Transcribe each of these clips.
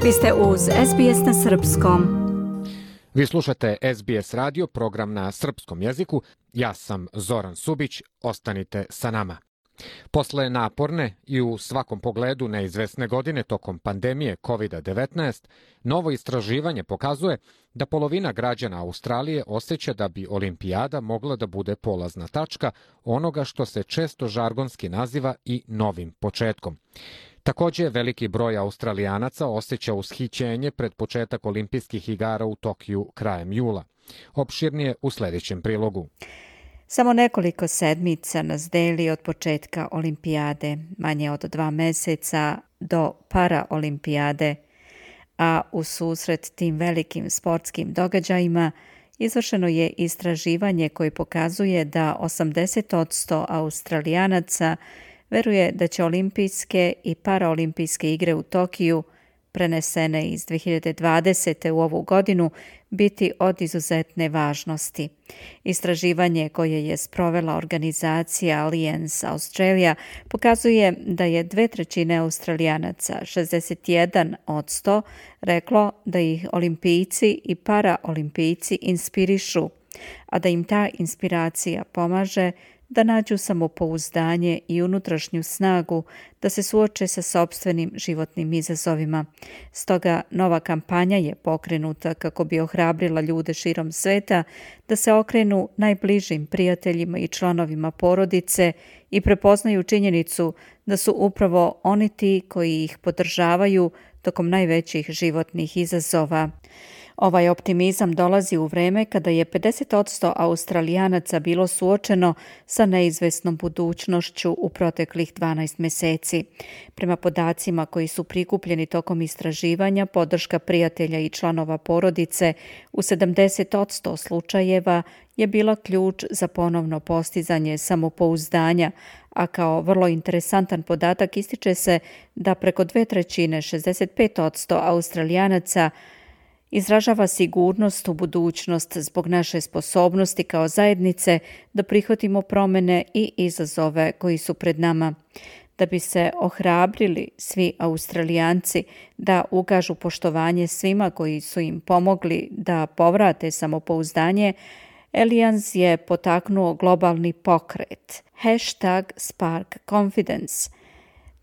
Vi ste uz SBS na srpskom. Vi slušate SBS radio, program na srpskom jeziku. Ja sam Zoran Subić, ostanite sa nama. Posle naporne i u svakom pogledu neizvesne godine tokom pandemije COVID-19, novo istraživanje pokazuje da polovina građana Australije osjeća da bi olimpijada mogla da bude polazna tačka onoga što se često žargonski naziva i novim početkom. Također, veliki broj Australijanaca osjeća ushićenje pred početak olimpijskih igara u Tokiju krajem jula. Opširnije u sljedećem prilogu. Samo nekoliko sedmica nas deli od početka olimpijade, manje od 2 meseca do paraolimpijade, a u susret tim velikim sportskim događajima izvršeno je istraživanje koje pokazuje da 80% Australijanaca veruje da će olimpijske i paraolimpijske igre u Tokiju, prenesene iz 2020. u ovu godinu, biti od izuzetne važnosti. Istraživanje koje je sprovela organizacija Alliance Australia pokazuje da je 2/3 Australijanaca, 61%, reklo da ih olimpijci i paraolimpijci inspirišu, a da im ta inspiracija pomaže da nađu samopouzdanje i unutrašnju snagu da se suoče sa sopstvenim životnim izazovima. Stoga nova kampanja je pokrenuta kako bi ohrabrila ljude širom sveta da se okrenu najbližim prijateljima i članovima porodice i prepoznaju činjenicu da su upravo oni ti koji ih podržavaju tokom najvećih životnih izazova. Ovaj optimizam dolazi u vreme kada je 50% Australijanaca bilo suočeno sa neizvesnom budućnošću u proteklih 12 meseci. Prema podacima koji su prikupljeni tokom istraživanja, podrška prijatelja i članova porodice u 70% slučajeva je bila ključ za ponovno postizanje samopouzdanja, a kao vrlo interesantan podatak ističe se da preko 2/3, 65% Australijanaca izražava sigurnost u budućnost zbog naše sposobnosti kao zajednice da prihvatimo promjene i izazove koji su pred nama. Da bi se ohrabrili svi Australijanci da ukažu poštovanje svima koji su im pomogli da povrate samopouzdanje, Alliance je potaknuo globalni pokret #SparkConfidence.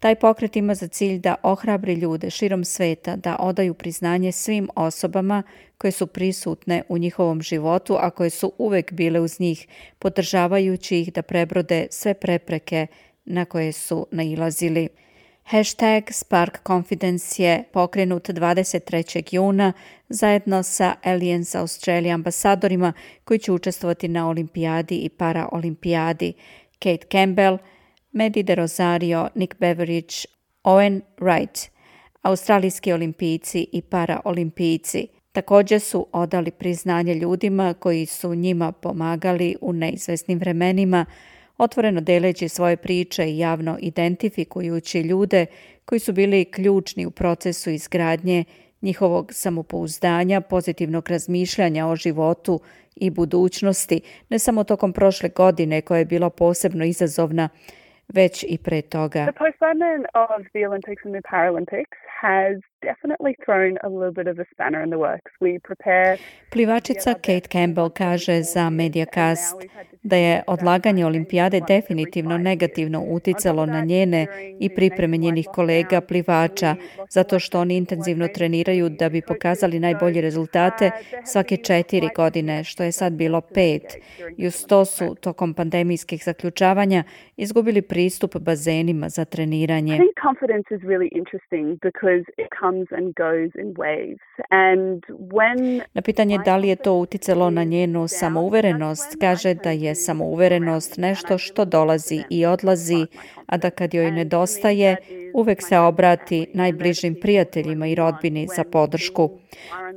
Taj pokret ima za cilj da ohrabri ljude širom sveta da odaju priznanje svim osobama koje su prisutne u njihovom životu, a koje su uvek bile uz njih, podržavajući ih da prebrode sve prepreke na koje su nailazili. #SparkConfidence je pokrenut 23. juna zajedno sa Alliance Australia ambasadorima koji će učestvovati na olimpijadi i paraolimpijadi. Kate Campbell, Maddie De Rosario, Nick Beveridge, Owen Wright, australijski olimpijci i paraolimpijci. Također su odali priznanje ljudima koji su njima pomagali u neizvesnim vremenima, otvoreno deleći svoje priče i javno identifikujući ljude koji su bili ključni u procesu izgradnje njihovog samopouzdanja, pozitivnog razmišljanja o životu i budućnosti, ne samo tokom prošle godine koja je bila posebno izazovna, već i pre toga. The postponement of the Olympics and the Paralympics has definitely thrown a little bit of a spanner in the works. We prepare... Plivačica Kate Campbell kaže za Mediacast da je odlaganje olimpijade definitivno negativno uticalo na njene i pripreme njenih kolega plivača, zato što oni intenzivno treniraju da bi pokazali najbolje rezultate svake 4 godine, što je sad bilo 5. I uz to su tokom pandemijskih zaključavanja izgubili pristup bazenima za treniranje. I think confidence is really interesting because it comes and goes in waves. And when... Na pitanje da li je to uticalo na njenu samouverenost, kaže da je samouverenost nešto što dolazi i odlazi, a da kad joj nedostaje, uvek se obrati najbližim prijateljima i rodbini za podršku.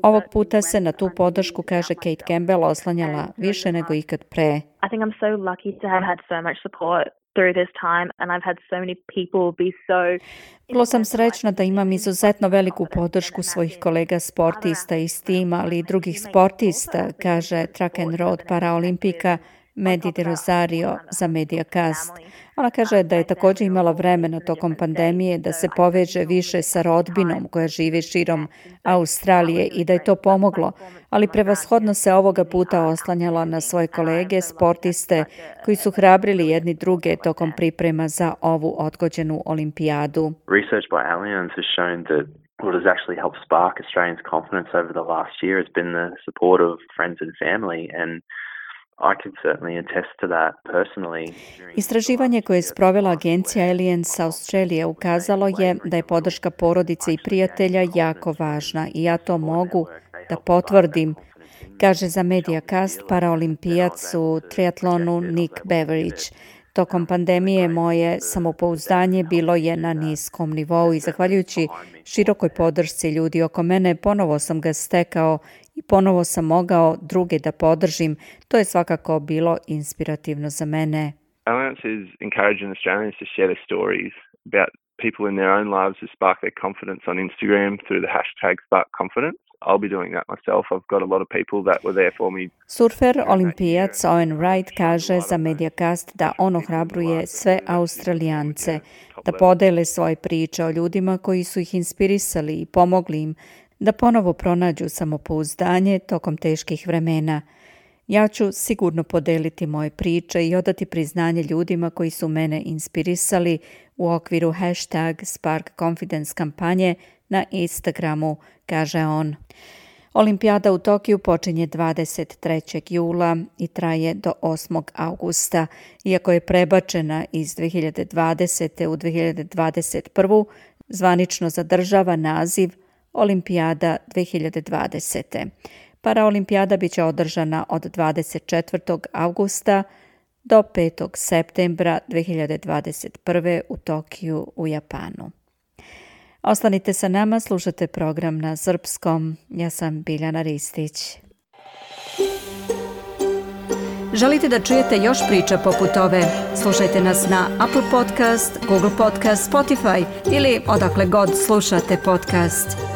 Ovog puta se na tu podršku, kaže Kate Campbell, oslanjala više nego ikad pre. I think I'm so lucky to have had so much support through this time and I've had so many people be so... Vrlo sam srećna da imam izuzetno veliku podršku svojih kolega sportista iz tima, ali i drugih sportista, kaže track and road paraolimpijka Medi de Rosario za Mediacast. Ona kaže da je također imala vremena tokom pandemije da se poveže više sa rodbinom koja živi širom Australije i da je to pomoglo, ali prevashodno se ovoga puta oslanjala na svoje kolege, sportiste koji su hrabrili jedni druge tokom priprema za ovu odgođenu olimpijadu. Research by Allianz has shown that what has actually helped spark Australians' confidence over the last year has been the support of friends and family, and I can certainly attest to that personally. Istraživanje koje je sprovela agencija Allianz Australia ukazalo je da je podrška porodice i prijatelja jako važna i ja to mogu da potvrdim, kaže za Mediacast paraolimpijac u triatlonu Nick Beveridge. Tokom pandemije moje samopouzdanje bilo je na niskom nivou i zahvaljujući širokoj podršci ljudi oko mene ponovo sam ga stekao i ponovo sam mogao druge da podržim. To je svakako bilo inspirativno za mene. Allianz is encouraging Australians to share their stories about people in their own lives who spark their confidence on Instagram through the hashtag #SparkConfidence. I'll be doing that myself. I've got a lot of people that were there for me. Surfer olimpijac Owen Wright kaže za Mediacast da on ohrabruje sve Australijance da podele svoje priče o ljudima koji su ih inspirisali i pomogli im da ponovo pronađu samopouzdanje tokom teških vremena. Ja ću sigurno podeliti moje priče i odati priznanje ljudima koji su mene inspirisali u okviru hashtag #SparkConfidence kampanje na Instagramu, kaže on. Olimpijada u Tokiju počinje 23. jula i traje do 8. augusta. Iako je prebačena iz 2020. u 2021. zvanično zadržava naziv Olimpijada 2020. Paraolimpijada biće održana od 24. augusta do 5. septembra 2021. u Tokiju u Japanu. Ostanite sa nama, slušate program na srpskom. Ja sam Biljana Ristić. Želite da čujete još priča poput ove? Slušajte nas na Apple Podcast, Google Podcast, Spotify ili odakle god slušate podcast.